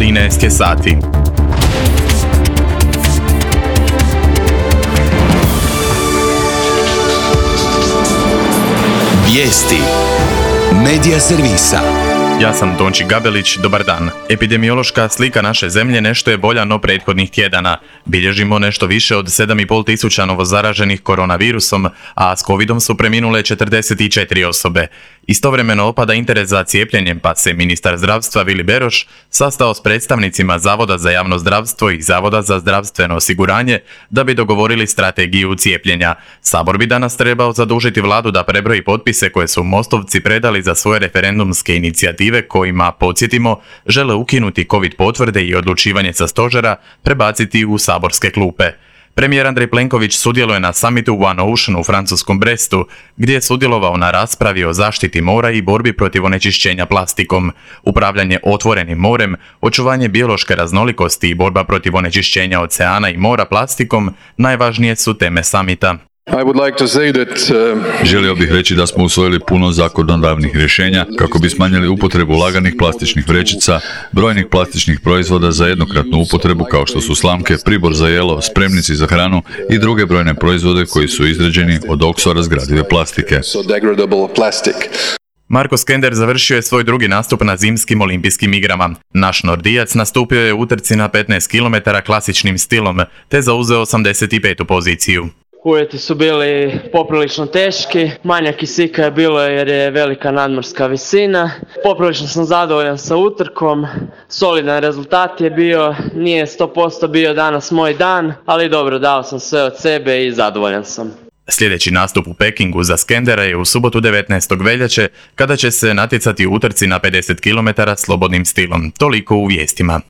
13 sati. Vijesti Medija servisa. Ja sam Tonči Gabelić, dobar dan. Epidemiološka slika naše zemlje nešto je bolja no prethodnih tjedana. Bilježimo nešto više od 7,5 tisuća novozaraženih koronavirusom, a s covidom su preminule 44 osobe. Istovremeno opada interes za cijepljenjem, pa se ministar zdravstva Vili Beroš sastao s predstavnicima Zavoda za javno zdravstvo i Zavoda za zdravstveno osiguranje da bi dogovorili strategiju cijepljenja. Sabor bi danas trebao zadužiti vladu da prebroji potpise koje su Mostovci predali za svoje referendumske inicijative kojima, podsjetimo, žele ukinuti covid potvrde i odlučivanje sa stožera prebaciti u saborske klupe. Premijer Andrej Plenković sudjeluje na summitu One Ocean u francuskom Brestu, gdje je sudjelovao na raspravi o zaštiti mora i borbi protiv onečišćenja plastikom. Upravljanje otvorenim morem, očuvanje biološke raznolikosti i borba protiv onečišćenja oceana i mora plastikom najvažnije su teme summita. Želio bih reći da smo usvojili puno zakonodavnih rješenja kako bi smanjili upotrebu laganih plastičnih vrećica, brojnih plastičnih proizvoda za jednokratnu upotrebu kao što su slamke, pribor za jelo, spremnici za hranu i druge brojne proizvode koji su izrađeni od oksorazgradive plastike. Marko Skender završio je svoj drugi nastup na zimskim olimpijskim igrama. Naš Nordijac nastupio je u utrci na 15 km klasičnim stilom, te zauzeo 85. poziciju. Uvjeti su bili poprilično teški, manja kisika je bilo jer je velika nadmorska visina. Poprilično sam zadovoljan sa utrkom, solidan rezultat je bio, nije 100% bio danas moj dan, ali dobro, dao sam sve od sebe i zadovoljan sam. Sljedeći nastup u Pekingu za Skendera je u subotu 19. veljače, kada će se natjecati u utrci na 50 km slobodnim stilom. Toliko u vijestima.